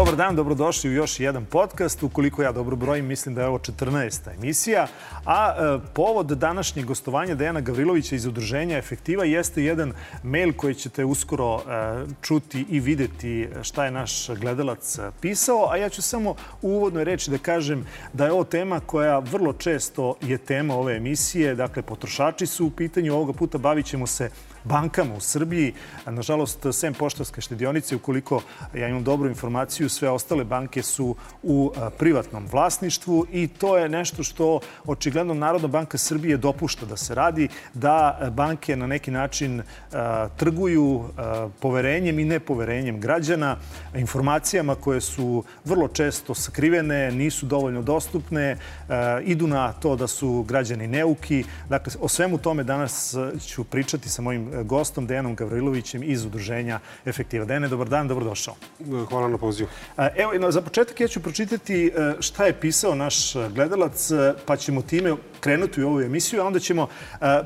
Dobar dan, dobrodošli u još jedan podcast. Ukoliko ja dobro brojim, mislim da je ovo 14. emisija. A povod današnjeg gostovanja Dejana Gavrilovića iz Udruženja Efektiva jeste jedan mail koji ćete uskoro čuti i videti šta je naš gledalac pisao. A ja ću samo u uvodnoj reči da kažem da je ovo tema koja vrlo često je tema ove emisije. Dakle, potrošači su u pitanju. Ovoga puta bavit ćemo se bankama u Srbiji. Nažalost, sem Poštanske štedionice, ukoliko ja imam dobru informaciju, sve ostale banke su u privatnom vlasništvu i to je nešto što očigledno Narodna banka Srbije dopušta da se radi, da banke na neki način trguju poverenjem i nepoverenjem građana, informacijama koje su vrlo često sakrivene, nisu dovoljno dostupne, idu na to da su građani neuki. Dakle, o svemu tome danas ću pričati sa mojim gostom Dejanom Gavrilovićem iz Udruženja Efektiva. Dejane, dobar dan, dobrodošao. Hvala na pozivu. Evo, za početak ja ću pročitati šta je pisao naš gledalac, pa ćemo time krenuti u ovu emisiju, a onda ćemo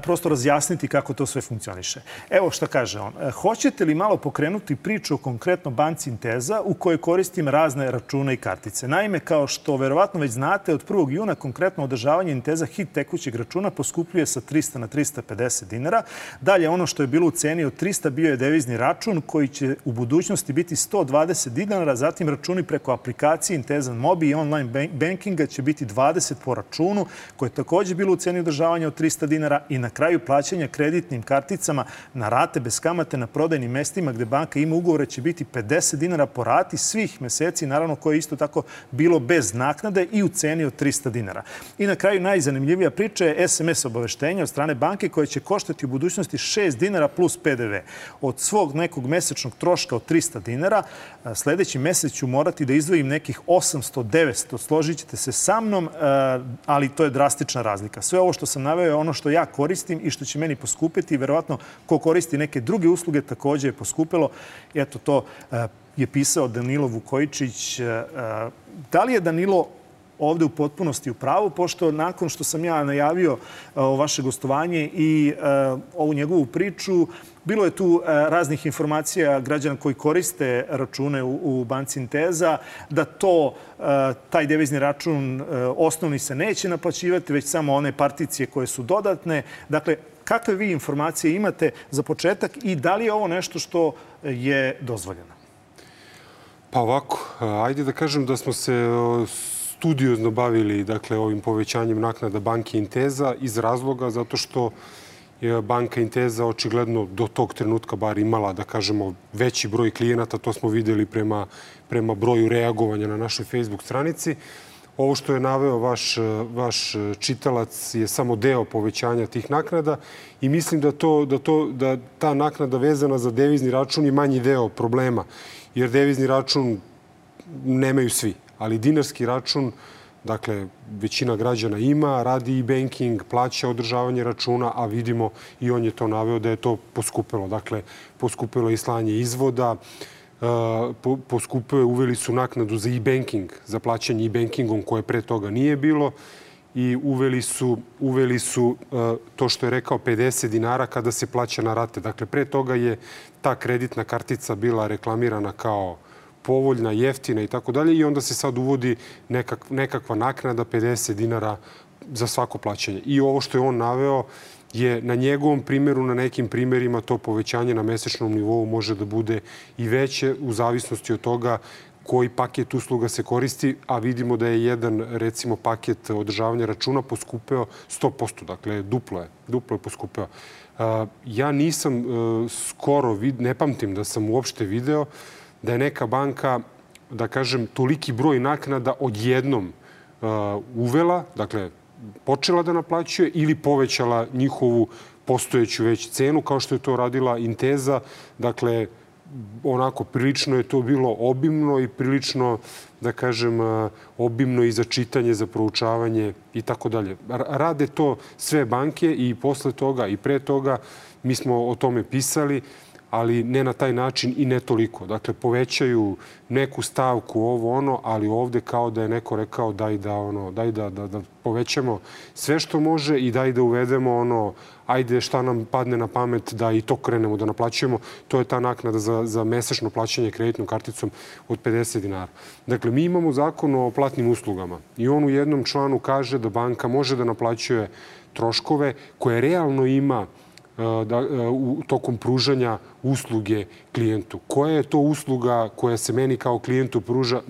prosto razjasniti kako to sve funkcioniše. Evo šta kaže on. Hoćete li malo pokrenuti priču o konkretno banci Inteza u kojoj koristim razne račune i kartice? Naime, kao što verovatno već znate, od 1. juna konkretno održavanje Inteza hit tekućeg računa poskupljuje sa 300 na 350 dinara. Dalje, ono što je bilo u ceni od 300 bio je devizni račun koji će u budućnosti biti 120 dinara, zatim računi preko aplikacije Inteza Mobi i online bankinga će biti 20 po računu, koje je također bilo u ceni održavanja od 300 dinara i na kraju plaćanja kreditnim karticama na rate bez kamate na prodajnim mestima gde banka ima ugovore će biti 50 dinara po rati svih meseci, naravno koje je isto tako bilo bez naknade i u ceni od 300 dinara. I na kraju najzanimljivija priča je SMS obaveštenja od strane banke koje će koštati u budućnosti 6 dinara plus PDV. Od svog nekog mesečnog troška od 300 dinara sledeći mesec ću morati da izdvojim nekih 800-900. Složit ćete se sa mnom, ali to je drastična razlika. Sve ovo što sam naveo je ono što ja koristim i što će meni poskupiti. Verovatno ko koristi neke druge usluge također je poskupilo. Eto, to je pisao Danilo Vukojičić. Da li je Danilo ovde u potpunosti u pravu, pošto nakon što sam ja najavio vaše gostovanje i ovu njegovu priču, bilo je tu raznih informacija građana koji koriste račune u banci Inteza, da taj devizni račun osnovni se neće naplaćivati, već samo one particije koje su dodatne. Dakle, kakve vi informacije imate za početak i da li je ovo nešto što je dozvoljeno? Pa ovako, ajde da kažem da smo se studiozno bavili ovim povećanjem naknada banke Inteza iz razloga zato što je banka Inteza očigledno do tog trenutka bar imala, da kažemo, veći broj klijenata. To smo videli prema broju reagovanja na našoj Facebook stranici. Ovo što je naveo vaš čitalac je samo deo povećanja tih naknada i mislim da ta naknada vezana za devizni račun je manji deo problema, jer devizni račun nemaju svi. Ali dinarski račun, dakle, većina građana ima, radi i banking, plaća održavanje računa, a vidimo i on je to naveo da je to poskupilo. Dakle, poskupilo je i slanje izvoda, poskupilo, uveli su naknadu za e-banking, za plaćanje e-bankingom koje pre toga nije bilo i uveli su to što je rekao 50 dinara kada se plaća na rate. Dakle, pre toga je ta kreditna kartica bila reklamirana kao povoljna, jeftina i tako dalje i onda se sad uvodi nekakva naknada 50 dinara za svako plaćanje. I ovo što je on naveo je na njegovom primjeru, na nekim primjerima to povećanje na mesečnom nivou može da bude i veće u zavisnosti od toga koji paket usluga se koristi, a vidimo da je jedan, recimo, paket održavanja računa poskupeo 100%. Dakle, duplo je poskupeo. Ja nisam skoro, ne pamtim da sam uopšte video da je neka banka, da kažem, toliki broj naknada odjednom uvela, dakle, počela da naplaćuje ili povećala njihovu postojeću već cenu, kao što je to radila Inteza. Dakle, onako, prilično je to bilo obimno i prilično, da kažem, obimno i za čitanje, za proučavanje i tako dalje. Rade to sve banke i posle toga i pre toga mi smo o tome pisali, ali ne na taj način i ne toliko. Dakle, povećaju neku stavku, ovo ono, ali ovde kao da je neko rekao daj da povećamo sve što može i daj da uvedemo ajde šta nam padne na pamet da i to krenemo da naplaćujemo. To je ta naknada za mesečno plaćanje kreditnom karticom od 50 dinara. Dakle, mi imamo zakon o platnim uslugama i on u jednom članu kaže da banka može da naplaćuje troškove koje realno ima tokom pružanja usluge klijentu. Koja je to usluga koja se meni kao klijentu pruža,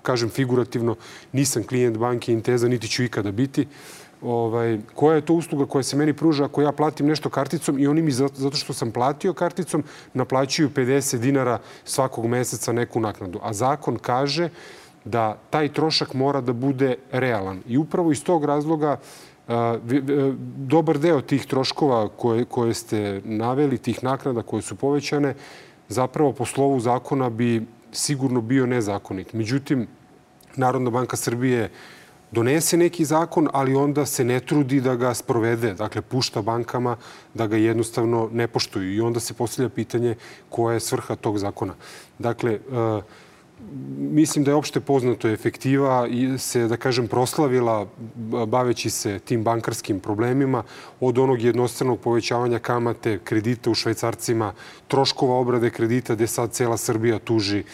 kažem figurativno, nisam klijent banke Inteza, niti ću ikada biti, koja je to usluga koja se meni pruža ako ja platim nešto karticom i oni mi, zato što sam platio karticom, naplaćuju 50 dinara svakog meseca neku naknadu. A zakon kaže da taj trošak mora da bude realan. I upravo iz tog razloga dobar deo tih troškova koje ste naveli, tih naknada koje su povećane, zapravo po slovu zakona bi sigurno bio nezakonit. Međutim, Narodna banka Srbije donese neki zakon, ali onda se ne trudi da ga sprovede. Dakle, pušta bankama da ga jednostavno ne poštuju. I onda se postavlja pitanje koja je svrha tog zakona. Dakle, mislim da je opšte poznato efektiva i se, da kažem, proslavila baveći se tim bankarskim problemima od onog jednostranog povećavanja kamate, kredita u švajcarcima, troškova obrade kredita gde sad cela Srbija tuži,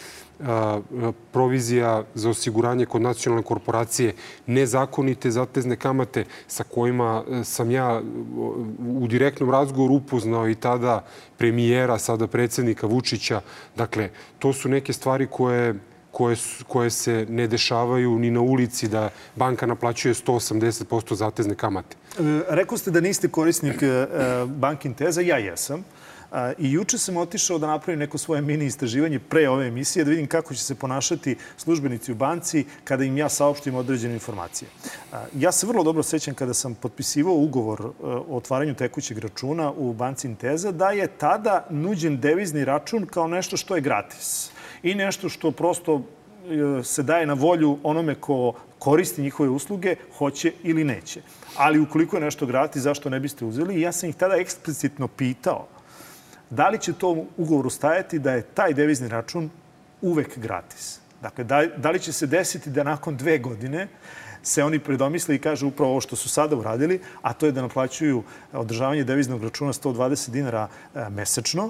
provizija za osiguranje kod nacionalne korporacije, nezakonite zatezne kamate sa kojima sam ja u direktnom razgovoru upoznao i tada premijera, sada predsjednika Vučića. Dakle, to su neke stvari koje se ne dešavaju ni na ulici, da banka naplaćuje 180% zatezne kamate. Rekao ste da niste korisnik banke Inteza, ja jesam. I juče sam otišao da napravim neko svoje mini istraživanje pre ove emisije, da vidim kako će se ponašati službenici u banci kada im ja saopštim određene informacije. Ja se vrlo dobro sećam kada sam potpisivao ugovor o otvaranju tekućeg računa u banci Inteza, da je tada nuđen devizni račun kao nešto što je gratis i nešto što prosto se daje na volju onome ko koristi njihove usluge, hoće ili neće. Ali ukoliko je nešto gratis, zašto ne biste uzeli? I ja sam ih tada eksplicitno pitao da li će to u ugovoru stajati da je taj devizni račun uvek gratis. Dakle, da li će se desiti da nakon 2 godine se oni predomisle i kažu upravo ovo što su sada uradili, a to je da naplaćuju održavanje deviznog računa 120 dinara mesečno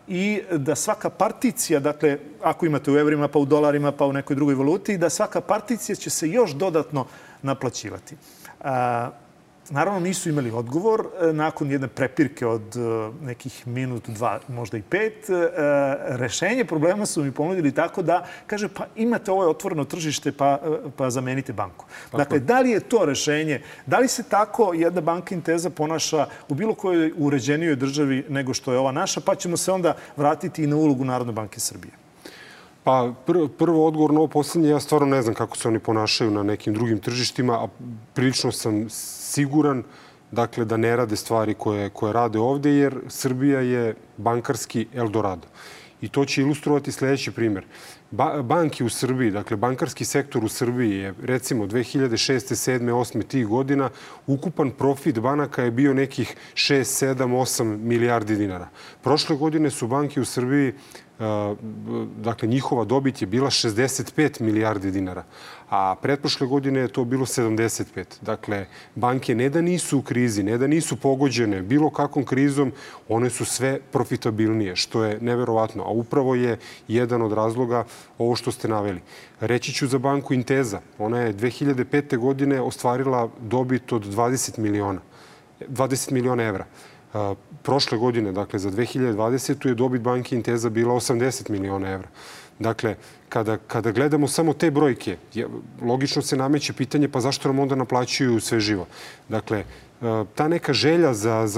i da svaka particija, dakle, ako imate u evrima, pa u dolarima, pa u nekoj drugoj valuti, da svaka particija će se još dodatno naplaćivati. Naravno, nisu imali odgovor. Nakon jedne prepirke od nekih minut, 2, možda i 5, rešenje problema su mi ponudili tako da kaže pa imate ovo otvoreno tržište pa zamenite banku. Dakle, da li je to rešenje? Da li se tako jedna banka Inteza ponaša u bilo kojoj uređenijoj državi nego što je ova naša? Pa ćemo se onda vratiti i na ulogu Narodne banke Srbije. Pa prvo odgovor na ovo poslednje, ja stvarno ne znam kako se oni ponašaju na nekim drugim tržištima, a prilično sam siguran dakle, da ne rade stvari koje rade ovde, jer Srbija je bankarski Eldorado. I to će ilustrovati sledeći primjer. Banki u Srbiji, dakle bankarski sektor u Srbiji je recimo 2006. 7. 8. tih godina ukupan profit banaka je bio nekih 6, 7, 8 milijardi dinara. Prošle godine su banke u Srbiji, dakle njihova dobit je bila 65 milijardi dinara, a pretprošle godine je to bilo 75. Dakle, banke ne da nisu u krizi, ne da nisu pogođene bilo kakvom krizom, one su sve profitabilnije, što je neverovatno. A upravo je jedan od razloga ovo što ste naveli. Reći ću za banku Inteza. Ona je 2005. godine ostvarila dobit od 20 miliona evra. Prošle godine, dakle za 2020. je dobit banke Inteza bila 80 miliona evra. Dakle, kada gledamo samo te brojke, logično se nameće pitanje pa zašto nam onda naplaćuju sve živo. Dakle, ta neka želja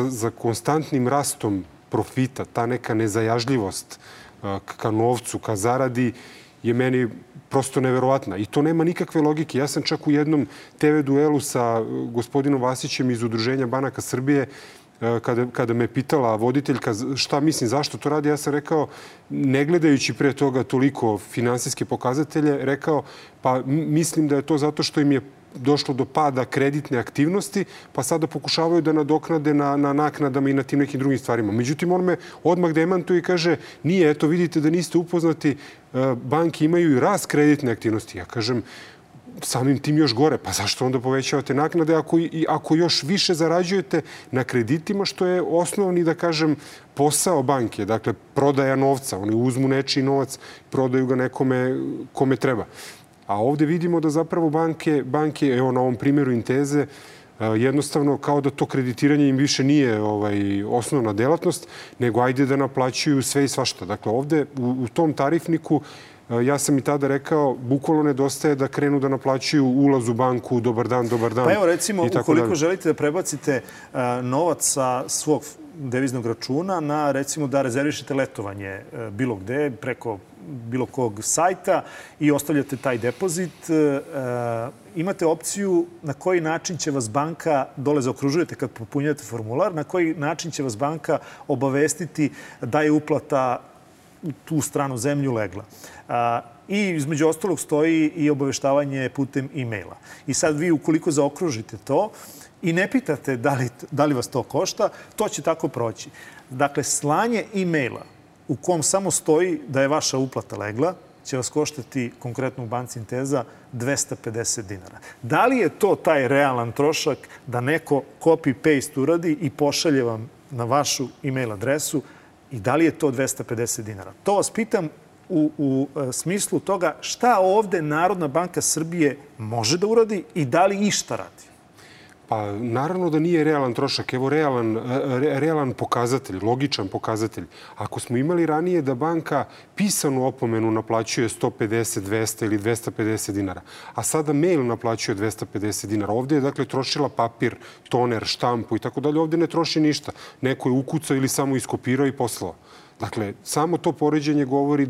za konstantnim rastom profita, ta neka nezajažljivost ka novcu, ka zaradi je meni prosto neverovatna. I to nema nikakve logike. Ja sam čak u jednom TV duelu sa gospodinom Vasićem iz Udruženja banaka Srbije, kada me pitala voditeljka šta mislim, zašto to radi, ja sam rekao, ne gledajući pre toga toliko finansijske pokazatelje, rekao, pa mislim da je to zato što im je došlo do pada kreditne aktivnosti, pa sada pokušavaju da nadoknade na naknadama i na tim nekim drugim stvarima. Međutim, on me odmah demantuje i kaže, nije, eto, vidite da niste upoznati, banke imaju i rast kreditne aktivnosti. Ja kažem, samim tim još gore. Pa zašto onda povećavate naknade ako još više zarađujete na kreditima, što je osnovni, da kažem, posao banke. Dakle, prodaja novca. Oni uzmu nečiji novac, prodaju ga nekome kome treba. A ovde vidimo da zapravo banke, evo na ovom primjeru Inteze, jednostavno kao da to kreditiranje im više nije osnovna delatnost, nego ajde da naplaćuju sve i svašta. Dakle, ovde u tom tarifniku, ja sam i tada rekao, bukvalno nedostaje da krenu da naplaćuju ulaz u banku, dobar dan. Pa evo recimo, ukoliko želite da prebacite novac sa svog deviznog računa na, recimo, da rezervišete letovanje bilo gde, preko bilo kog sajta i ostavljate taj depozit, imate opciju na koji način će vas banka, dole zaokružujete kad popunjate formular, na koji način će vas banka obavestiti da je uplata u tu stranu zemlju legla. I između ostalog stoji i obaveštavanje putem e-maila. I sad vi, ukoliko zaokružite to i ne pitate da li vas to košta, to će tako proći. Dakle, slanje e-maila u kom samo stoji da je vaša uplata legla će vas koštati, konkretno u banci Inteza, 250 dinara. Da li je to taj realan trošak da neko copy-paste uradi i pošalje vam na vašu e-mail adresu i da li je to 250 dinara? To vas pitam u smislu toga šta ovde Narodna banka Srbije može da uradi i da li išta radi? Pa naravno da nije realan trošak. Evo realan pokazatelj, logičan pokazatelj. Ako smo imali ranije da banka pisanu opomenu naplaćuje 150, 200 ili 250 dinara, a sada mail naplaćuje 250 dinara. Ovde je dakle trošila papir, toner, štampu i tako dalje. Ovde ne troši ništa. Neko je ukucao ili samo iskopirao i poslao. Dakle, samo to poređenje govori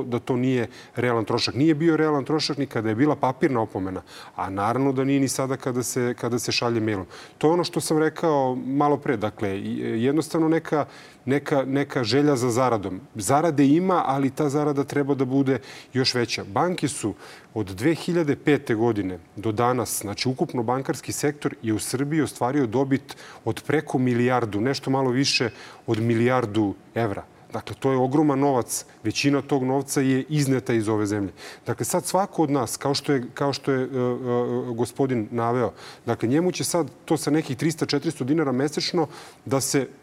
da to nije realan trošak. Nije bio realan trošak ni kada je bila papirna opomena, a naravno da nije ni sada kada se šalje mailom. To je ono što sam rekao malo pre. Dakle, jednostavno neka želja za zaradom. Zarade ima, ali ta zarada treba da bude još veća. Banke su od 2005. godine do danas, znači ukupno bankarski sektor je u Srbiji ostvario dobit od preko milijardu, nešto malo više od milijardu evra. Dakle, to je ogroman novac. Većina tog novca je izneta iz ove zemlje. Dakle, sad svako od nas, kao što je gospodin naveo, dakle, njemu će sad to sa nekih 300-400 dinara mesečno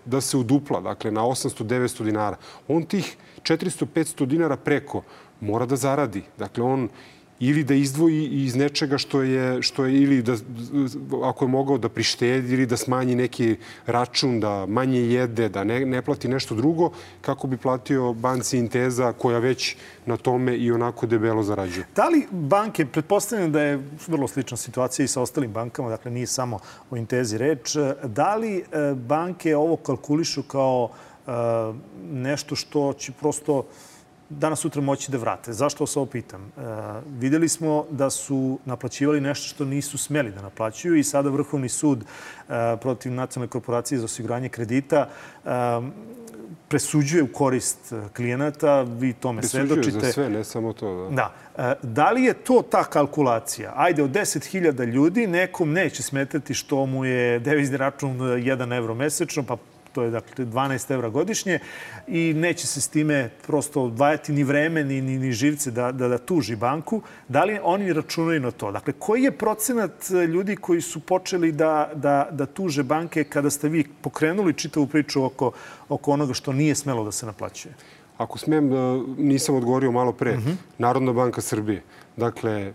da se udupla, dakle, na 800-900 dinara. On tih 400-500 dinara preko mora da zaradi. Dakle, on ili da izdvoji iz nečega što je ili da, ako je mogao da prištedi ili da smanji neki račun, da manje jede, da ne plati nešto drugo, kako bi platio banci Inteza koja već na tome i onako debelo zarađuje. Da li banke, pretpostavljam da je vrlo slična situacija i sa ostalim bankama, dakle nije samo o Intezi reč, da li banke ovo kalkulišu kao nešto što će prosto danas sutra moći da vrate? Zašto vas ovo pitam? Videli smo da su naplaćivali nešto što nisu smeli da naplaćuju i sada Vrhovni sud protiv Nacionalne korporacije za osiguranje kredita presuđuje u korist klijenata. Vi tome svedočite. Presuđuje za sve, ne samo to. Da. Da li je to ta kalkulacija? Ajde, od 10.000 ljudi nekom neće smetati što mu je devizni račun 1 evro mesečno, pa to je dakle 12 evra godišnje i neće se s time prosto odvajati ni vreme ni živce da tuži banku. Da li oni računaju na to? Dakle, koji je procenat ljudi koji su počeli da tuže banke kada ste vi pokrenuli čitavu priču oko onoga što nije smelo da se naplaćuje? Ako smijem, nisam odgovorio malo pre. Narodna banka Srbije. Dakle,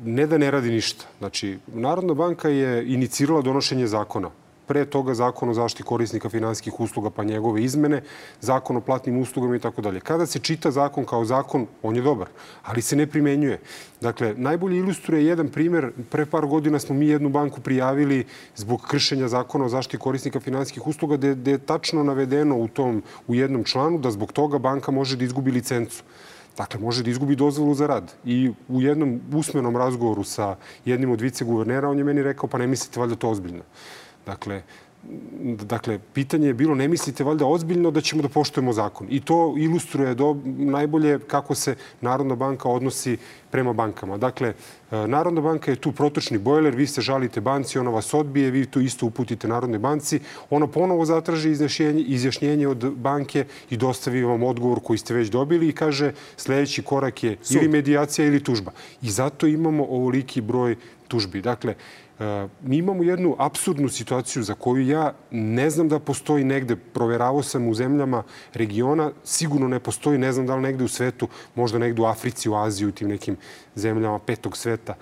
ne da ne radi ništa. Znači, Narodna banka je inicirala donošenje zakona. Pre toga zakon o zaštiti korisnika finansijskih usluga pa njegove izmene, zakon o platnim uslugama i tako dalje. Kada se čita zakon kao zakon, on je dobar, ali se ne primenjuje. Dakle, najbolje ilustruje jedan primjer. Pre par godina smo mi jednu banku prijavili zbog kršenja zakona o zaštiti korisnika finansijskih usluga gde je tačno navedeno u jednom članu da zbog toga banka može da izgubi licencu. Dakle, može da izgubi dozvolu za rad. I u jednom usmenom razgovoru sa jednim od viceguvernera on je meni rekao pa ne mislite valjda to ozbiljno. Dakle, dakle, pitanje je bilo, ne mislite valjda ozbiljno da ćemo da poštujemo zakon. I to ilustruje najbolje kako se Narodna banka odnosi prema bankama. Dakle, Narodna banka je tu protočni bojler, vi se žalite banci, ona vas odbije, vi to isto uputite Narodnoj banci, ona ponovo zatraži izjašnjenje od banke i dostavi vam odgovor koji ste već dobili i kaže sljedeći korak je ili medijacija ili tužba. I zato imamo ovoliki broj tužbi. Dakle, mi imamo jednu apsurdnu situaciju za koju ja ne znam da postoji negde. Proveravao sam u zemljama regiona, sigurno ne postoji, ne znam da li negde u svetu, možda negde u Africi, u Aziji, u tim nekim zemljama petog sveta.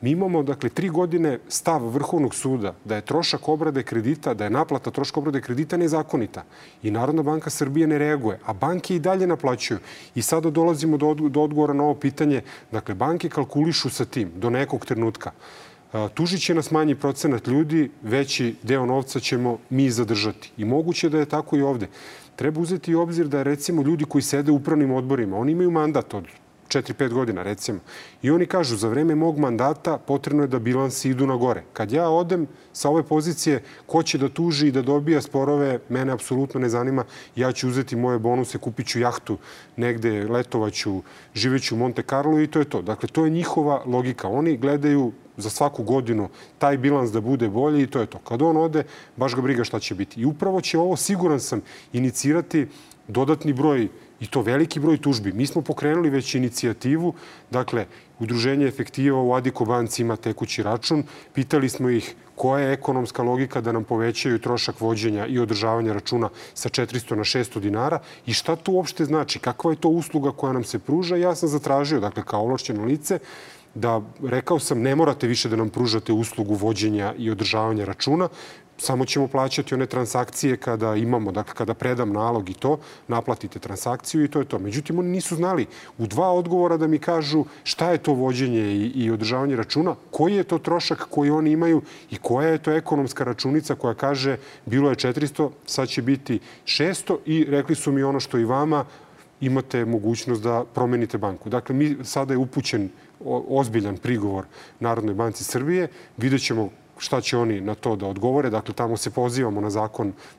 Mi imamo, dakle, 3 godine stav Vrhovnog suda da je trošak obrade kredita, da je naplata troška obrade kredita nezakonita. I Narodna banka Srbije ne reaguje, a banke i dalje naplaćuju. I sada dolazimo do odgovora na ovo pitanje. Dakle, banke kalkulišu sa tim do nekog trenutka. Tužit će nas manji procenat ljudi, veći deo novca ćemo mi zadržati. I moguće da je tako i ovde. Treba uzeti u obzir da, recimo, ljudi koji sede u upravnim odborima, oni imaju mandat od 4-5 godina, recimo. I oni kažu, za vreme mog mandata potrebno je da bilansi idu na gore. Kad ja odem sa ove pozicije, ko će da tuži i da dobija sporove, mene apsolutno ne zanima. Ja ću uzeti moje bonuse, kupit ću jahtu negde, letovaću, živeću u Monte Carlo i to je to. Dakle, to je njihova logika. Oni gledaju za svaku godinu taj bilans da bude bolji i to je to. Kad on ode, baš ga briga šta će biti. I upravo će ovo, siguran sam, inicirati dodatni broj, i to veliki broj tužbi. Mi smo pokrenuli već inicijativu, dakle, Udruženje efektiva u Adiko banci ima tekući račun. Pitali smo ih koja je ekonomska logika da nam povećaju trošak vođenja i održavanja računa sa 400 na 600 dinara i šta to uopšte znači, kakva je to usluga koja nam se pruža. Ja sam zatražio, dakle, kao ovlašćeno lice, da rekao sam ne morate više da nam pružate uslugu vođenja i održavanja računa, samo ćemo plaćati one transakcije kada imamo, dakle kada predam nalog i to, naplatite transakciju i to je to. Međutim, oni nisu znali u 2 odgovora da mi kažu šta je to vođenje i održavanje računa, koji je to trošak koji oni imaju i koja je to ekonomska računica koja kaže bilo je 400, sad će biti 600 i rekli su mi ono što i vama, imate mogućnost da promenite banku. Dakle, sada je upućen ozbiljan prigovor Narodnoj banci Srbije. Vidjet ćemo šta će oni na to da odgovore. Dakle, tamo se pozivamo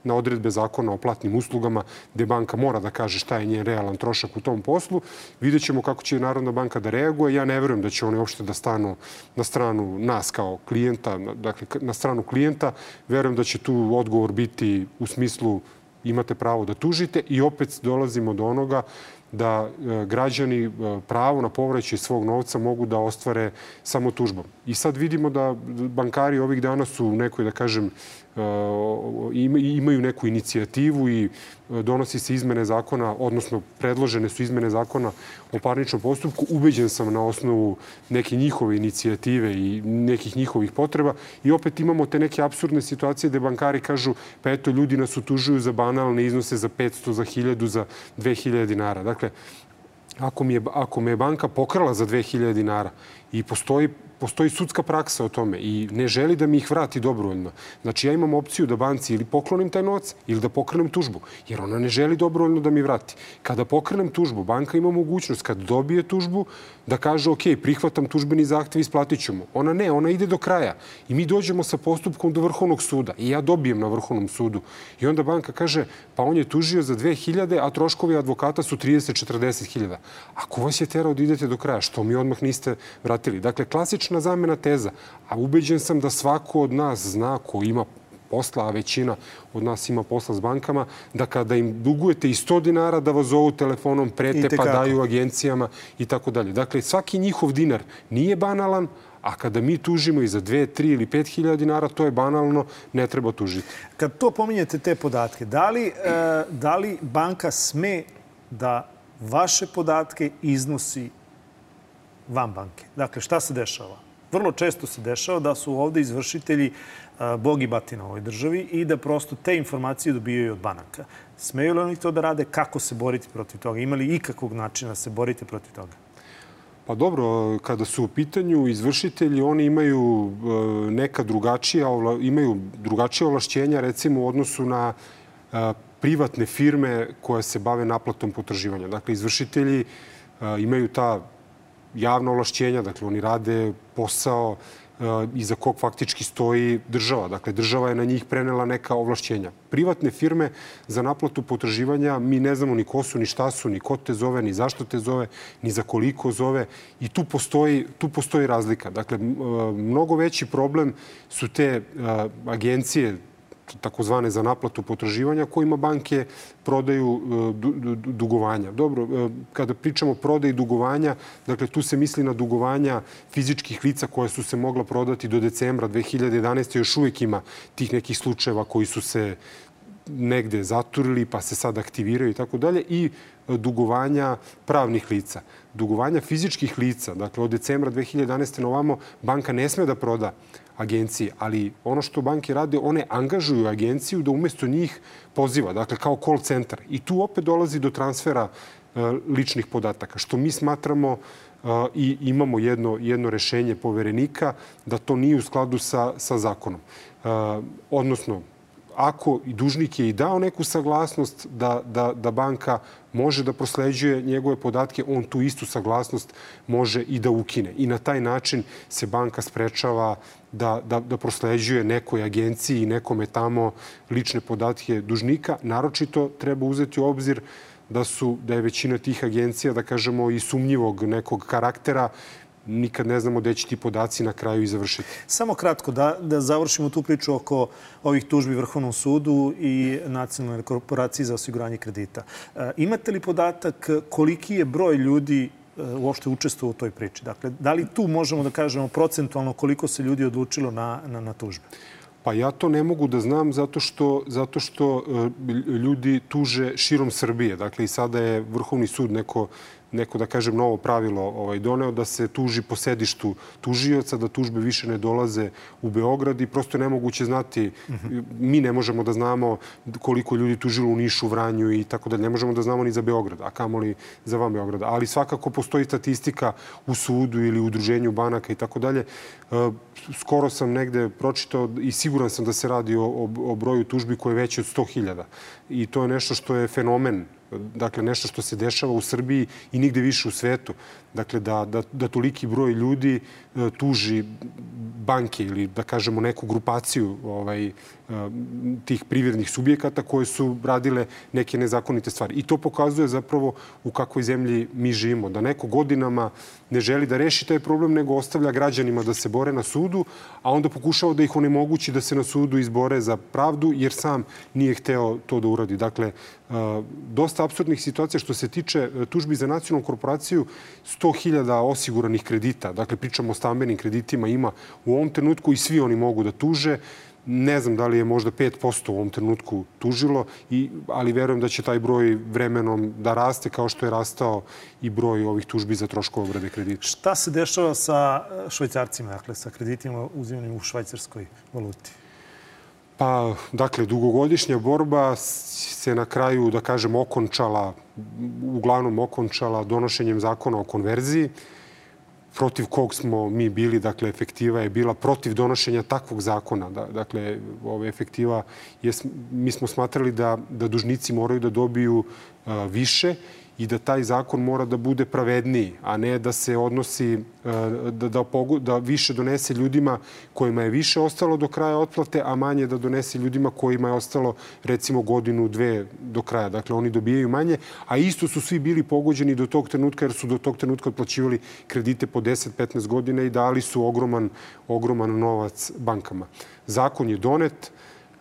na odredbe zakona o platnim uslugama gde banka mora da kaže šta je njen realan trošak u tom poslu. Vidjet ćemo kako će Narodna banka da reaguje. Ja ne verujem da će oni uopšte da stanu na stranu nas kao klijenta, dakle na stranu klijenta. Verujem da će tu odgovor biti u smislu imate pravo da tužite i opet dolazimo do onoga da građani pravo na povraćaj svog novca mogu da ostvare samo tužbom. I sad vidimo da bankari ovih dana su u nekoj, da kažem, imaju neku inicijativu i donosi se izmene zakona, odnosno predložene su izmene zakona o parničnom postupku. Ubeđen sam na osnovu neke njihove inicijative i nekih njihovih potreba. I opet imamo te neke apsurdne situacije gde bankari kažu pa eto, ljudi nas utužuju za banalne iznose za 500, za 1000, za 2000 dinara. Dakle, ako me je banka pokrala za 2000 dinara i postoji sudska praksa o tome i ne želi da mi ih vrati dobrovoljno. Znači, ja imam opciju da banci ili poklonim taj novac ili da pokrenem tužbu, jer ona ne želi dobrovoljno da mi vrati. Kada pokrenem tužbu, banka ima mogućnost, kad dobije tužbu, da kaže, ok, prihvatam tužbeni zahtev i isplatit ću mu. Ona ne, ona ide do kraja. I mi dođemo sa postupkom do Vrhovnog suda i ja dobijem na Vrhovnom sudu. I onda banka kaže, pa on je tužio za 2000, a troškovi advokata su 30-40 000. Ako vas je terao da idete do kraja, što mi odmah niste vratili? Dakle, klasična zamena teza. A ubeđen sam da svako od nas zna ko ima posla, a većina od nas ima posla s bankama, da kada im dugujete i 100 dinara da vas zovu telefonom, prete pa daju agencijama i tako dalje. Dakle, svaki njihov dinar nije banalan, a kada mi tužimo i za 2, 3 ili 5.000 dinara, to je banalno, ne treba tužiti. Kad to pominjete te podatke, da li banka sme da vaše podatke iznosi van banke? Dakle, šta se dešava? Vrlo često se dešava da su ovde izvršitelji bog i batina u ovoj državi i da prosto te informacije dobijaju od banaka. Smeju li oni to da rade? Kako se boriti protiv toga? Ima li ikakvog načina da se borite protiv toga? Pa dobro, kada su u pitanju izvršitelji, oni imaju imaju drugačije ovlašćenja, recimo u odnosu na privatne firme koje se bave naplatom potraživanja. Dakle, izvršitelji imaju ta javna ovlašćenja, dakle, oni rade posao iza kog faktički stoji država. Dakle, država je na njih prenela neka ovlašćenja. Privatne firme za naplatu potraživanja mi ne znamo ni ko su, ni šta su, ni ko te zove, ni zašto te zove, ni za koliko zove. I tu postoji razlika. Dakle, mnogo veći problem su te agencije takozvane za naplatu potraživanja kojima banke prodaju dugovanja. Dobro, kada pričamo o prodaji dugovanja, dakle tu se misli na dugovanja fizičkih lica koja su se mogla prodati do decembra 2011. Još uvijek ima tih nekih slučajeva koji su se negde zaturili pa se sad aktiviraju i tako dalje i dugovanja pravnih lica. Dugovanja fizičkih lica, dakle od decembra 2011. na ovamo banka ne sme da proda agenciji, ali ono što banke rade, one angažuju agenciju da umesto njih poziva, dakle kao call centar. I tu opet dolazi do transfera ličnih podataka, što mi smatramo i imamo jedno rešenje poverenika da to nije u skladu sa zakonom. Odnosno, ako i dužnik je i dao neku saglasnost da banka može da prosleđuje njegove podatke, on tu istu saglasnost može i da ukine. I na taj način se banka sprečava da prosleđuje nekoj agenciji i nekome tamo lične podatke dužnika. Naročito treba uzeti u obzir da je većina tih agencija, da kažemo, i sumnjivog nekog karaktera. Nikad ne znamo gde će ti podaci na kraju i završiti. Samo kratko, da završimo tu priču oko ovih tužbi Vrhovnom sudu i Nacionalnoj korporaciji za osiguranje kredita. Imate li podatak koliki je broj ljudi uopšte učestvovao u toj priči? Dakle, da li tu možemo da kažemo procentualno koliko se ljudi odlučilo na tužbe? Pa ja to ne mogu da znam zato što ljudi tuže širom Srbije. Dakle, i sada je Vrhovni sud neko, da kažem, novo pravilo doneo da se tuži po sedištu tužioca, da tužbe više ne dolaze u Beograd i prosto je nemoguće znati. Mi ne možemo da znamo koliko ljudi tužilo u Nišu, Vranju i tako dalje. Ne možemo da znamo ni za Beograd, a kamoli za van Beograda. Ali svakako postoji statistika u sudu ili u udruženju banaka i tako dalje. Skoro sam negde pročitao i siguran sam da se radi o broju tužbi koje je veće od 100.000. I to je nešto što je fenomen. Dakle, nešto što se dešava u Srbiji i nigde više u svetu. Dakle, da toliki broj ljudi tuži banke ili, da kažemo, neku grupaciju tih privrednih subjekata koje su radile neke nezakonite stvari. I to pokazuje zapravo u kakvoj zemlji mi živimo. Da neko godinama ne želi da reši taj problem, nego ostavlja građanima da se bore na sudu, a onda pokušava da ih onemogući da se na sudu izbore za pravdu, jer sam nije hteo to da uradi. Dakle, dosta apsurdnih situacija što se tiče tužbi za Nacionalnu korporaciju, 100.000 osiguranih kredita, dakle pričamo o stambenim kreditima, ima u ovom trenutku i svi oni mogu da tuže. Ne znam da li je možda 5% u ovom trenutku tužilo, ali verujem da će taj broj vremenom da raste kao što je rastao i broj ovih tužbi za troškove obrade kredita. Šta se dešava sa švajcarcima, dakle sa kreditima uzimanim u švajcarskoj valuti? Pa, dakle, dugogodišnja borba se na kraju, da kažem, uglavnom okončala donošenjem zakona o konverziji, protiv kog smo mi bili, dakle, efektiva je bila protiv donošenja takvog zakona. Dakle, ova efektiva, mi smo smatrali da dužnici moraju da dobiju više i da taj zakon mora da bude pravedniji, a ne da se odnosi, da više donese ljudima kojima je više ostalo do kraja otplate, a manje da donese ljudima kojima je ostalo recimo godinu, dve do kraja. Dakle, oni dobijaju manje, a isto su svi bili pogođeni do tog trenutka jer su do tog trenutka otplaćivali kredite po 10-15 godina i dali su ogroman novac bankama. Zakon je donet.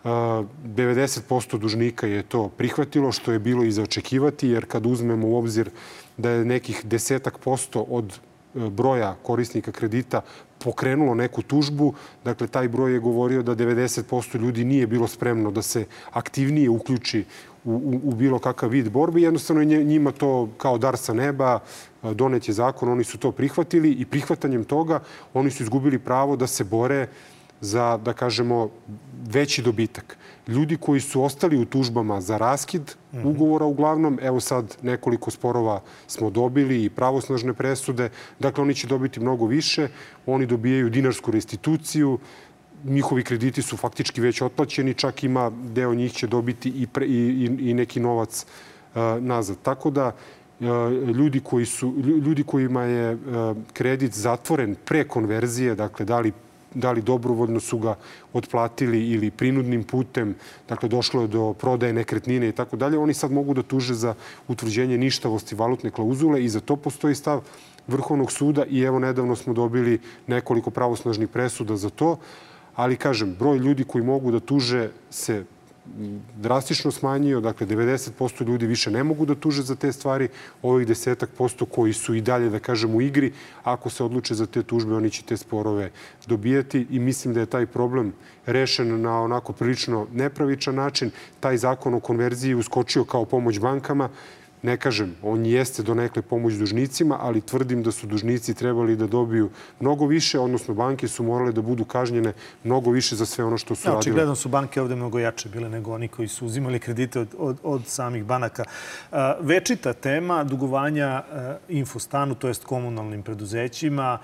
90% dužnika je to prihvatilo, što je bilo i za očekivati, jer kad uzmemo u obzir da je nekih 10% od broja korisnika kredita pokrenulo neku tužbu, dakle, taj broj je govorio da 90% ljudi nije bilo spremno da se aktivnije uključi u bilo kakav vid borbe. Jednostavno je njima to kao dar sa neba, donet je zakon, oni su to prihvatili i prihvatanjem toga oni su izgubili pravo da se bore za, da kažemo, veći dobitak. Ljudi koji su ostali u tužbama za raskid ugovora uglavnom, evo sad nekoliko sporova smo dobili i pravosnažne presude, dakle oni će dobiti mnogo više, oni dobijaju dinarsku restituciju, njihovi krediti su faktički već otplaćeni, čak ima deo njih će dobiti i neki novac nazad. Tako da ljudi kojima je kredit zatvoren pre konverzije, dakle da li da li dobrovoljno su ga otplatili ili prinudnim putem, dakle došlo je do prodaje nekretnine i tako dalje, oni sad mogu da tuže za utvrđenje ništavosti valutne klauzule i za to postoji stav Vrhovnog suda i evo nedavno smo dobili nekoliko pravosnažnih presuda za to. Ali, kažem, broj ljudi koji mogu da tuže se drastično smanjio. Dakle, 90% ljudi više ne mogu da tuže za te stvari. Ovih 10% koji su i dalje, da kažem, u igri, ako se odluče za te tužbe, oni će te sporove dobijati. I mislim da je taj problem rešen na onako prilično nepravičan način. Taj zakon o konverziji uskočio kao pomoć bankama. Ne kažem, on jeste donekle pomoć dužnicima, ali tvrdim da su dužnici trebali da dobiju mnogo više, odnosno banke su morale da budu kažnjene mnogo više za sve ono što su radile. Očigledno su banke ovde mnogo jače bile nego oni koji su uzimali kredite od samih banaka. Večita tema dugovanja Infostanu, to jest komunalnim preduzećima,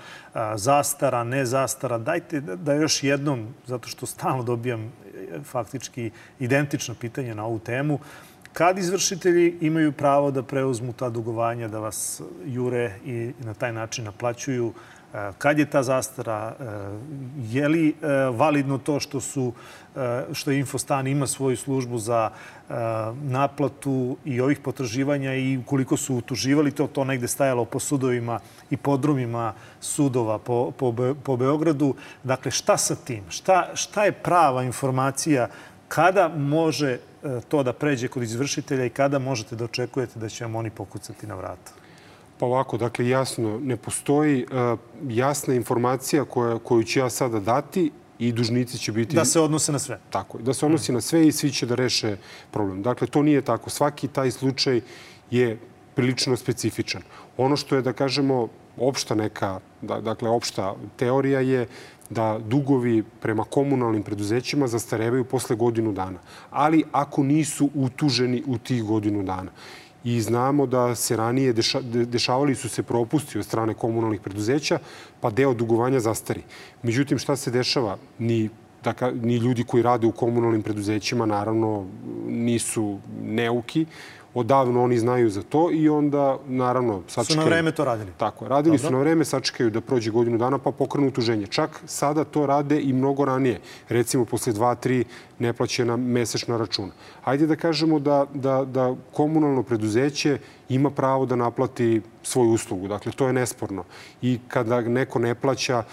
zastara, ne zastara. Dajte da još jednom, zato što stalno dobijam faktički identično pitanje na ovu temu, kad izvršitelji imaju pravo da preuzmu ta dugovanja, da vas jure i na taj način naplaćuju, kad je ta zastara, je li validno to što Infostan ima svoju službu za naplatu i ovih potraživanja i ukoliko su utuživali to negde stajalo po sudovima i podrumima sudova po Beogradu. Dakle, šta sa tim? Šta je prava informacija? Kada može to da pređe kod izvršitelja i kada možete da očekujete da će vam oni pokucati na vrata? Pa ovako, dakle, jasno, ne postoji jasna informacija koju ću ja sada dati i dužnici će biti... Da se odnose na sve. Tako je, da se odnosi na sve i svi će da reše problem. Dakle, to nije tako. Svaki taj slučaj je prilično specifičan. Ono što je, da kažemo, opšta neka, dakle, opšta teorija je da dugovi prema komunalnim preduzećima zastarevaju posle godinu dana. Ali ako nisu utuženi u tih godinu dana. I znamo da se ranije dešavali su se propusti od strane komunalnih preduzeća, pa deo dugovanja zastari. Međutim, šta se dešava? Ni ljudi koji rade u komunalnim preduzećima, naravno, nisu neuki. Odavno oni znaju za to i onda, naravno, sačekaju. Su na vreme to radili? Tako je. Radili su na vreme, sačekaju da prođe godinu dana pa pokrenu utuženje. Čak sada to rade i mnogo ranije. Recimo, posle 2-3 neplaćena mesečna računa. Hajde da kažemo da komunalno preduzeće ima pravo da naplati svoju uslugu. Dakle, to je nesporno. I kada neko ne plaća,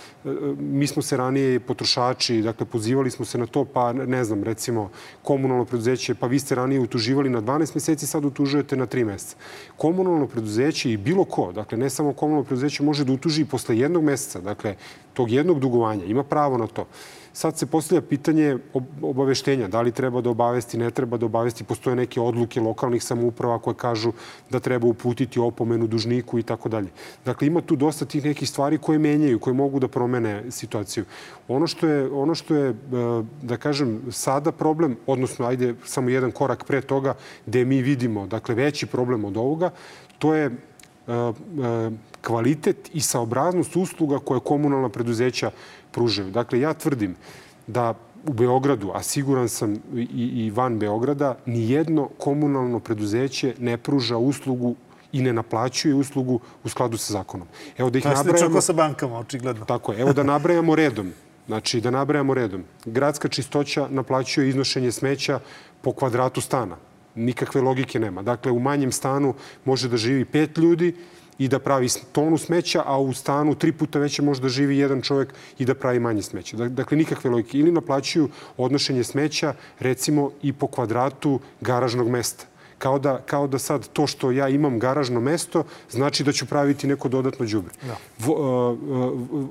mi smo se ranije potrošači, dakle, pozivali smo se na to, pa ne znam, recimo, komunalno preduzeće, pa vi ste ranije utuživali na 12 meseci, sad utužujete na 3 meseca. Komunalno preduzeće i bilo ko, dakle, ne samo komunalno preduzeće, može da utuži i posle jednog meseca, dakle, tog jednog dugovanja, ima pravo na to. Sad se postavlja pitanje obaveštenja. Da li treba da obavesti, ne treba da obavesti. Postoje neke odluke lokalnih samouprava koje kažu da treba uputiti opomenu dužniku i tako dalje. Dakle, ima tu dosta tih nekih stvari koje menjaju, koje mogu da promene situaciju. Ono što je, da kažem, sada problem, odnosno, ajde, samo jedan korak pre toga, gde mi vidimo, dakle, veći problem od ovoga, to je kvalitet i saobraznost usluga koje komunalna preduzeća pružaju. Dakle, ja tvrdim da u Beogradu, a siguran sam i van Beograda, nijedno komunalno preduzeće ne pruža uslugu i ne naplaćuje uslugu u skladu sa zakonom. Evo da ih nabrajamo... Slično sa bankama, očigledno. Tako je. Evo da nabrajamo redom. Znači, da nabrajamo redom. Gradska čistoća naplaćuje iznošenje smeća po kvadratu stana. Nikakve logike nema. Dakle, u manjem stanu može da živi 5 ljudi i da pravi tonu smeća, a u stanu 3 puta veće može da živi jedan čovjek i da pravi manje smeća. Dakle, nikakve logike. Ili naplaćuju odnošenje smeća, recimo, i po kvadratu garažnog mesta. Kao da sad to što ja imam garažno mesto znači da ću praviti neko dodatno đubre.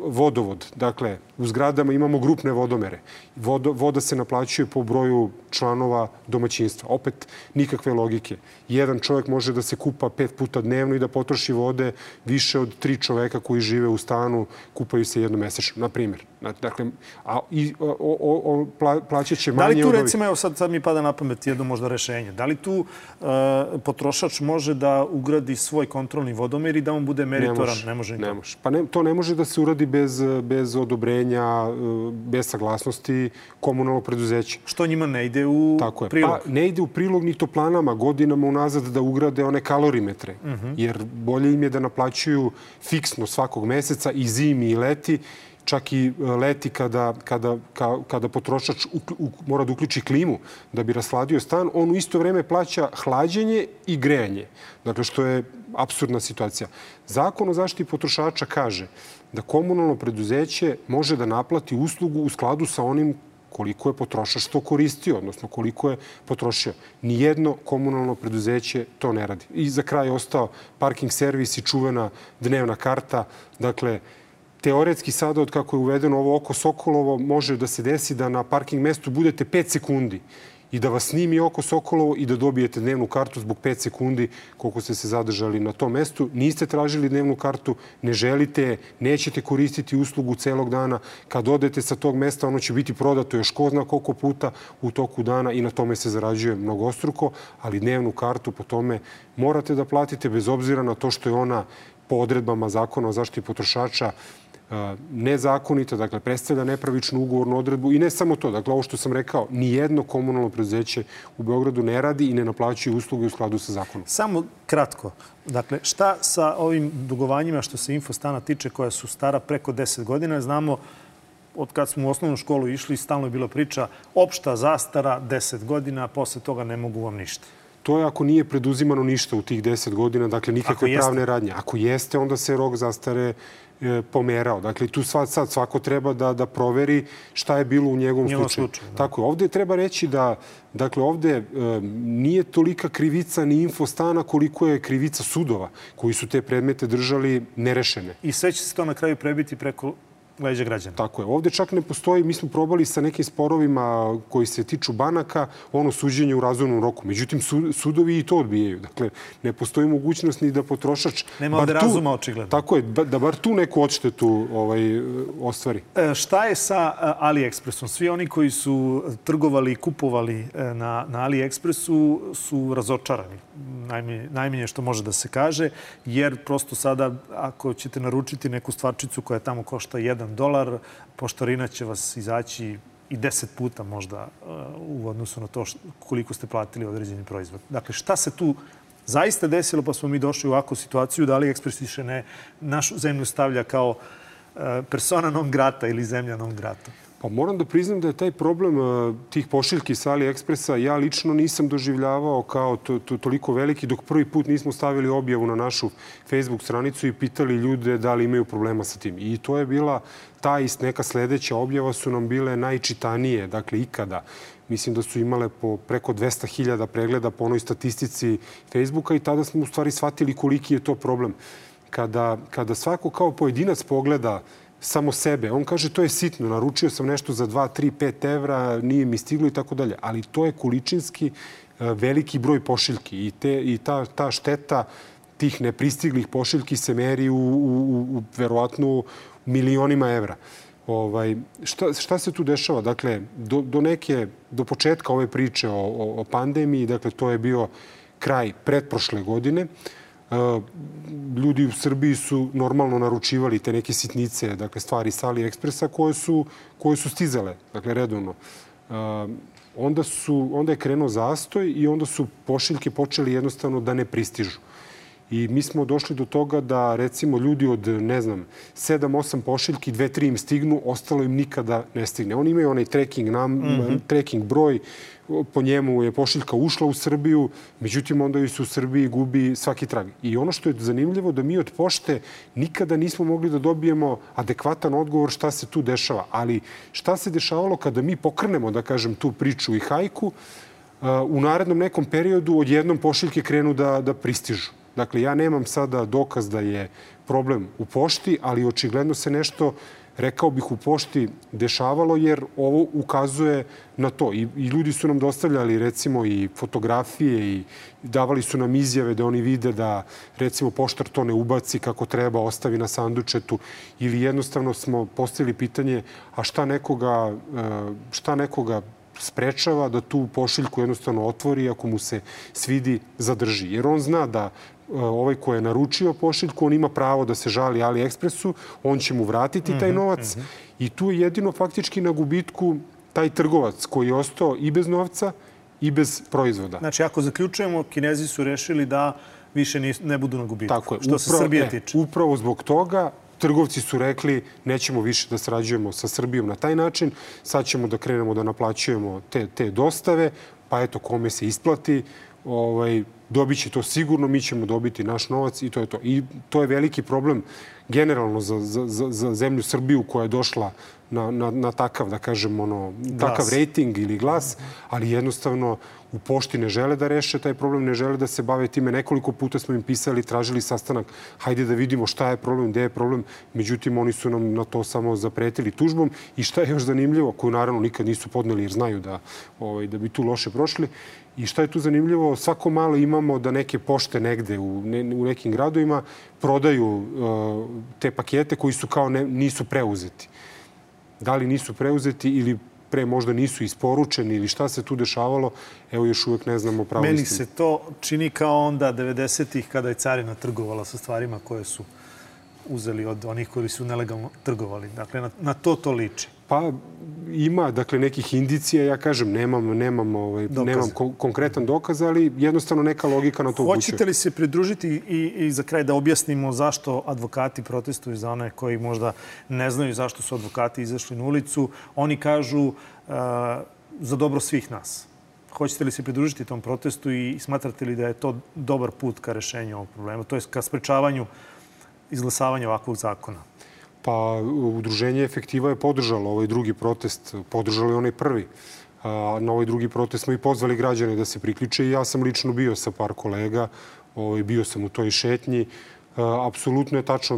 Vodovod. Dakle, u zgradama imamo grupne vodomere. Voda se naplaćuje po broju članova domaćinstva. Opet nikakve logike. Jedan čovjek može da se kupa 5 puta dnevno i da potroši vode više od 3 čoveka koji žive u stanu, kupaju se jednomesečno, na primjer. Dakle, plaćat će manje... Da li tu, recimo, evo sad mi pada na pamet jedno možda rešenje, da li tu potrošač može da ugradi svoj kontrolni vodomer i da on bude meritoran? Ne može. Pa to ne može da se uradi bez odobrenja, bez saglasnosti komunalnog preduzeća. Što njima ne ide u prilog? Pa ne ide u prilog ni toplanama godinama unazad da ugrade one kalorimetre. Jer bolje im je da naplaćuju fiksno svakog meseca i zimi i leti, čak i leti kada potrošač mora da uključi klimu da bi rasladio stan, on u isto vreme plaća hlađenje i grejanje. Dakle, što je apsurdna situacija. Zakon o zaštiti potrošača kaže da komunalno preduzeće može da naplati uslugu u skladu sa onim koliko je potrošač to koristio, odnosno koliko je potrošio. Nijedno komunalno preduzeće to ne radi. I za kraj je ostao parking servis i čuvena dnevna karta. Dakle, teoretski sada, od kako je uvedeno ovo oko Sokolovo, može da se desi da na parking mestu budete 5 sekundi i da vas snimi oko Sokolovo i da dobijete dnevnu kartu zbog 5 sekundi koliko ste se zadržali na tom mestu. Niste tražili dnevnu kartu, ne želite, nećete koristiti uslugu celog dana. Kad odete sa tog mesta, ono će biti prodato još ko zna koliko puta u toku dana i na tome se zarađuje mnogostruko, ali dnevnu kartu po tome morate da platite bez obzira na to što je ona po odredbama Zakona o zaštiti potrošača nezakonita, dakle, predstavlja nepravičnu ugovornu odredbu i ne samo to. Dakle, ovo što sam rekao, nijedno komunalno preduzeće u Beogradu ne radi i ne naplaćuje usluge u skladu sa zakonom. Samo kratko. Dakle, šta sa ovim dugovanjima što se Infostana tiče, koja su stara preko 10 godina? Znamo, od kad smo u osnovnu školu išli, stalno je bila priča opšta zastara 10 godina, posle toga ne mogu vam ništa. To je ako nije preduzimano ništa u tih 10 godina, dakle, nikakve pravne radnje. Ako jeste, onda se rok zastare pomerao. Dakle, tu sad svako treba da proveri šta je bilo u njegovom slučaju. Tako je. Ovde treba reći da, dakle, ovde nije tolika krivica ni Infostana koliko je krivica sudova koji su te predmete držali nerešene. I sve će se to na kraju prebiti preko leđa građana. Tako je. Ovde čak ne postoji, mi smo probali sa nekim sporovima koji se tiču banaka, ono suđenje u razumnom roku. Međutim, sudovi i to odbijaju. Dakle, ne postoji mogućnost ni da potrošač... Nema ovde razuma, očigledno. Tako je, da bar tu neku odštetu ostvari. Šta je sa AliExpressom? Svi oni koji su trgovali i kupovali na AliExpressu su razočarani. Najmanje što može da se kaže, jer prosto sada, ako ćete naručiti neku stvarčicu koja tamo košta $1, poštarina će vas izaći i 10 puta možda u odnosu na to koliko ste platili određeni proizvod. Dakle, šta se tu zaista desilo pa smo mi došli u ovakvu situaciju da AliExpress više ne našu zemlju stavlja kao persona non grata ili zemlja non grata? Pa moram da priznam da je taj problem tih pošiljki sa AliExpressa ja lično nisam doživljavao kao toliko veliki dok prvi put nismo stavili objavu na našu Facebook stranicu i pitali ljude da li imaju problema sa tim. I to je bila ta i neka sledeća objava su nam bile najčitanije, dakle ikada. Mislim da su imale po preko 200.000 pregleda po onoj statistici Facebooka i tada smo u stvari shvatili koliki je to problem. Kada svako kao pojedinac pogleda samo sebe. On kaže to je sitno, naručio sam nešto za 2, 3, 5 evra, nije mi stiglo i tako dalje. Ali to je količinski veliki broj pošiljki i ta šteta tih nepristiglih pošiljki se meri u verovatno milionima evra. Šta se tu dešava? Dakle, do početka ove priče o pandemiji, dakle, to je bio kraj pretprošle godine, ljudi u Srbiji su normalno naručivali te neke sitnice, dakle stvari sa AliExpressa koje su stizale, dakle redovno. Onda je krenuo zastoj i onda su pošiljke počeli jednostavno da ne pristižu. I mi smo došli do toga da, recimo, ljudi od, 7-8 pošiljki, 2-3 im stignu, ostalo im nikada ne stigne. Oni imaju onaj tracking broj, po njemu je pošiljka ušla u Srbiju, međutim, onda ju se u Srbiji gubi svaki trag. I ono što je zanimljivo da mi od pošte nikada nismo mogli da dobijemo adekvatan odgovor šta se tu dešava. Ali šta se dešavalo kada mi pokrenemo, da kažem, tu priču i hajku, u narednom nekom periodu odjednom pošiljke krenu da pristižu. Dakle, ja nemam sada dokaz da je problem u pošti, ali očigledno se nešto, rekao bih, u pošti dešavalo, jer ovo ukazuje na to. I ljudi su nam dostavljali, recimo, i fotografije i davali su nam izjave da oni vide da, recimo, poštar to ne ubaci kako treba, ostavi na sandučetu. Ili jednostavno smo postavili pitanje, a šta nekoga sprečava da tu pošiljku jednostavno otvori, ako mu se svidi, zadrži. Jer on zna da ovaj ko je naručio pošiljku, on ima pravo da se žali AliExpressu, on će mu vratiti taj novac i tu je jedino faktički na gubitku taj trgovac koji je ostao i bez novca i bez proizvoda. Znači, ako zaključujemo, Kinezi su rešili da više ne budu na gubitku, što se Srbije tiče. Upravo zbog toga trgovci su rekli nećemo više da sarađujemo sa Srbijom na taj način, sad ćemo da krenemo da naplaćujemo te dostave, pa eto kome se isplati, dobit će to sigurno, mi ćemo dobiti naš novac i to je to. I to je veliki problem generalno za zemlju Srbiju koja je došla na takav, da kažem, takav rejting ili glas, ali jednostavno u pošti ne žele da reše taj problem, ne žele da se bave time. Nekoliko puta smo im pisali, tražili sastanak, hajde da vidimo šta je problem, gde je problem. Međutim, oni su nam na to samo zapretili tužbom. I šta je još zanimljivo, koju naravno nikad nisu podneli jer znaju da bi tu loše prošli. I šta je tu zanimljivo, svako malo imamo da neke pošte negde u nekim gradovima prodaju te pakete koji su kao nisu preuzeti. Da li nisu preuzeti ili pre možda nisu isporučeni ili šta se tu dešavalo, evo još uvek ne znamo pravo istinu. Meni se to čini kao onda 90-ih kada je carina trgovala sa stvarima koje su uzeli od onih koji su nelegalno trgovali. Dakle, na to liči. Pa ima, dakle, nekih indicija, ja kažem, nemam konkretan dokaz, ali jednostavno neka logika na to upućuje. Hoćete li se pridružiti i za kraj da objasnimo zašto advokati protestuju za one koji možda ne znaju zašto su advokati izašli na ulicu? Oni kažu za dobro svih nas. Hoćete li se pridružiti tom protestu i smatrate li da je to dobar put ka rešenju ovog problema? To je ka sprečavanju izglasavanja ovakvog zakona? Pa Udruženje Efektiva je podržalo ovaj drugi protest, podržalo je onaj prvi. Na ovaj drugi protest smo i pozvali građane da se priključe i ja sam lično bio sa par kolega, bio sam u toj šetnji. Apsolutno je tačno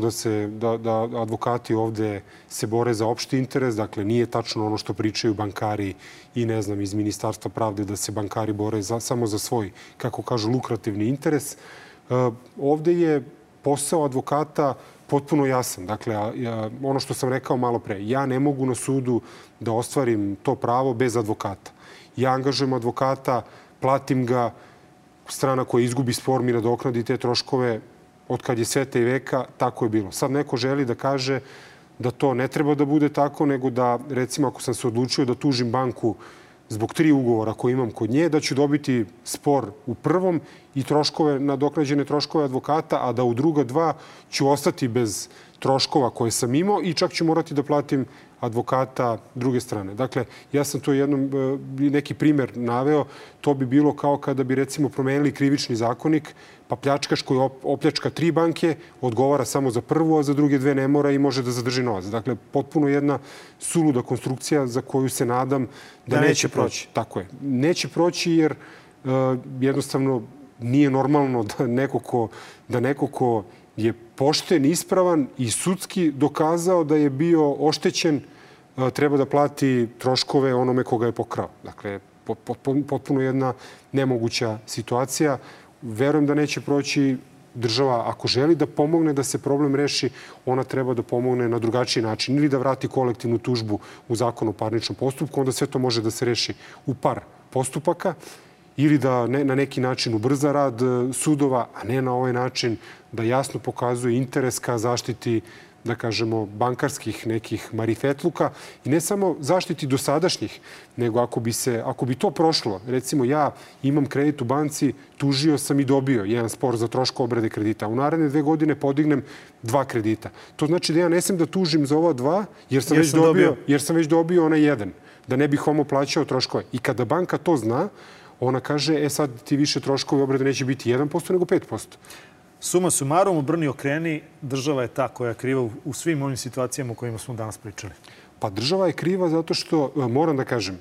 da advokati ovde se bore za opšti interes, dakle nije tačno ono što pričaju bankari i ne znam iz Ministarstva pravde da se bankari bore samo za svoj, kako kažu, lukrativni interes. Ovde je posao advokata potpuno jasan. Dakle, ono što sam rekao malo pre, ja ne mogu na sudu da ostvarim to pravo bez advokata. Ja angažujem advokata, platim ga, strana koja izgubi spor mi nadoknadi te troškove od kad je sveta i veka, tako je bilo. Sad neko želi da kaže da to ne treba da bude tako, nego da, recimo, ako sam se odlučio da tužim banku zbog 3 ugovora koje imam kod nje, da ću dobiti spor u prvom i nadoknađene troškove advokata, a da u druga 2 ću ostati bez troškova koje sam imao i čak ću morati da platim advokata druge strane. Dakle, ja sam to neki primer naveo. To bi bilo kao kada bi, recimo, promenili krivični zakonik, pa pljačkaš koji opljačka 3 banke odgovara samo za prvu, a za druge 2 ne mora i može da zadrži novac. Dakle, potpuno jedna suluda konstrukcija za koju se nadam da neće proći. Tako je. Neće proći jer jednostavno nije normalno da neko ko je pošten, ispravan i sudski dokazao da je bio oštećen, treba da plati troškove onome koga je pokrao. Dakle, potpuno jedna nemoguća situacija. Verujem da neće proći. Država, ako želi da pomogne da se problem reši, ona treba da pomogne na drugačiji način. Ili da vrati kolektivnu tužbu u Zakon o parničnom postupku, onda sve to može da se reši u par postupaka, ili da na neki način ubrza rad sudova, a ne na ovaj način da jasno pokazuje interes ka zaštiti, da kažemo, bankarskih nekih marifetluka i ne samo zaštiti dosadašnjih, nego ako bi to prošlo, recimo ja imam kredit u banci, tužio sam i dobio jedan spor za troško obrade kredita. U naredne 2 godine podignem 2 kredita. To znači da ja ne smem da tužim za ova 2 jer sam već dobio onaj jedan, da ne bih homo plaćao troškove. I kada banka to zna, ona kaže, sad ti više troškovi obrade neće biti 1%, nego 5%. Suma sumarum, obrni okreni, država je ta koja je kriva u svim ovim situacijama o kojima smo danas pričali. Pa država je kriva zato što, moram da kažem,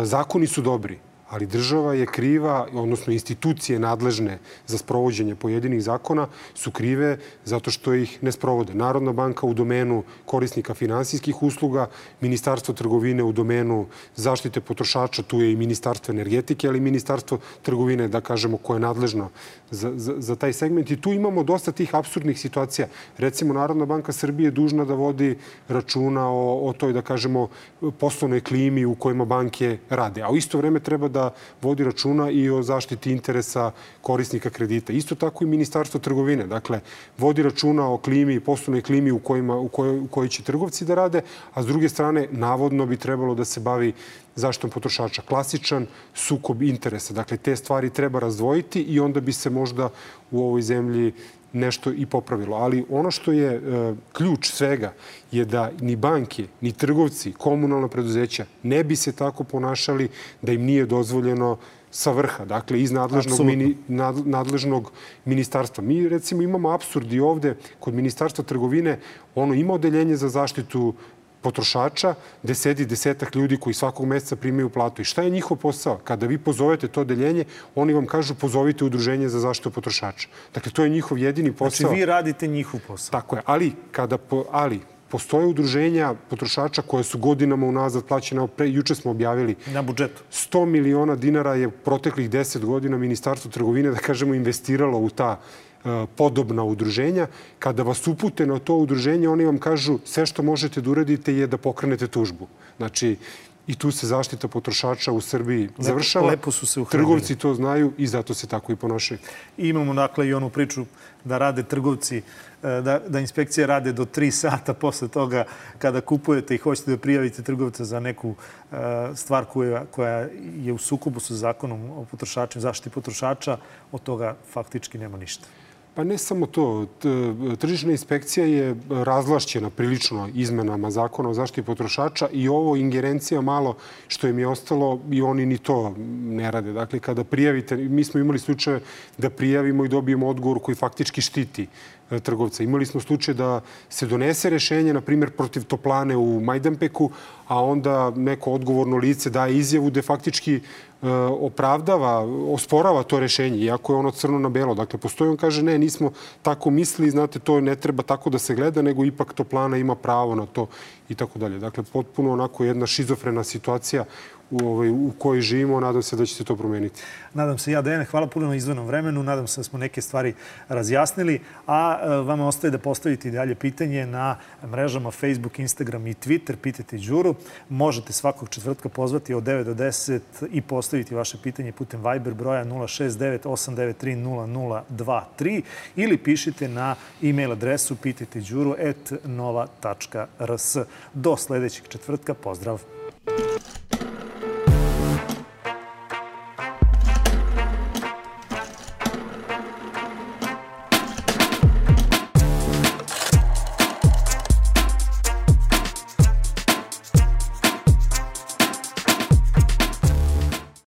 zakoni su dobri, ali država je kriva, odnosno institucije nadležne za sprovođenje pojedinih zakona su krive zato što ih ne sprovode. Narodna banka u domenu korisnika finansijskih usluga, Ministarstvo trgovine u domenu zaštite potrošača, tu je i Ministarstvo energetike, ali i Ministarstvo trgovine, da kažemo, koje je nadležno za taj segment. I tu imamo dosta tih apsurdnih situacija. Recimo, Narodna banka Srbije je dužna da vodi računa o toj, da kažemo, poslovnoj klimi u kojima banke rade. A u isto vreme treba da vodi računa i o zaštiti interesa korisnika kredita. Isto tako i Ministarstvo trgovine. Dakle, vodi računa o klimi, poslovnoj klimi u kojoj će trgovci da rade, a s druge strane, navodno bi trebalo da se bavi zaštitom potrošača. Klasičan sukob interesa. Dakle, te stvari treba razdvojiti i onda bi se možda u ovoj zemlji nešto i popravilo. Ali ono što je ključ svega je da ni banke, ni trgovci, komunalna preduzeća ne bi se tako ponašali da im nije dozvoljeno sa vrha, dakle iz nadležnog ministarstva. Mi recimo imamo apsurd i ovde kod Ministarstva trgovine, ono ima odeljenje za zaštitu potrošača, gde sedi 10-ak ljudi koji svakog meseca primaju platu. I šta je njihov posao? Kada vi pozovete to odeljenje, oni vam kažu pozovite udruženje za zaštitu potrošača. Dakle, to je njihov jedini posao. Znači, vi radite njihov posao. Tako je. Ali postoje udruženja potrošača koje su godinama unazad plaćene. Juče smo objavili. Na budžetu. 100 miliona dinara je proteklih 10 godina Ministarstvo trgovine, da kažemo, investiralo u ta podobna udruženja. Kada vas upute na to udruženje, oni vam kažu sve što možete da uradite je da pokrenete tužbu. Znači, i tu se zaštita potrošača u Srbiji završava. Lepo su se uhranili. Trgovci to znaju i zato se tako i ponašaju. I imamo dakle i onu priču da rade trgovci, da inspekcije rade do 3 sata posle toga kada kupujete i hoćete da prijavite trgovca za neku stvar koja je u sukobu sa zakonom o potrošačima, zaštiti potrošača, od toga faktički nema ništa. Pa ne samo to. Tržišna inspekcija je razvlašćena prilično izmenama zakona o zaštiti potrošača i ovo ingerencija malo što im je ostalo i oni ni to ne rade. Dakle, kada prijavite, mi smo imali slučaje da prijavimo i dobijemo odgovor koji faktički štiti trgovca. Imali smo slučaj da se donese rešenje, na primjer, protiv toplane u Majdanpeku, a onda neko odgovorno lice daje izjavu da faktički osporava to rešenje, iako je ono crno na belo. Dakle, postoji, on kaže, ne, nismo tako mislili, znate, to ne treba tako da se gleda, nego ipak toplana ima pravo na to i tako dalje. Dakle, potpuno onako jedna šizofrena situacija u kojoj živimo. Nadam se da će se to promeniti. Nadam se ja, Dejane. Hvala puno na izdvojenom vremenu. Nadam se da smo neke stvari razjasnili. A vama ostaje da postavite i dalje pitanje na mrežama Facebook, Instagram i Twitter. Pitajte Đuru. Možete svakog četvrtka pozvati od 9 do 10 i postaviti vaše pitanje putem Viber broja 069 893 0023 ili pišite na e-mail adresu pitajteđuru@nova.rs. Do sledećeg četvrtka. Pozdrav!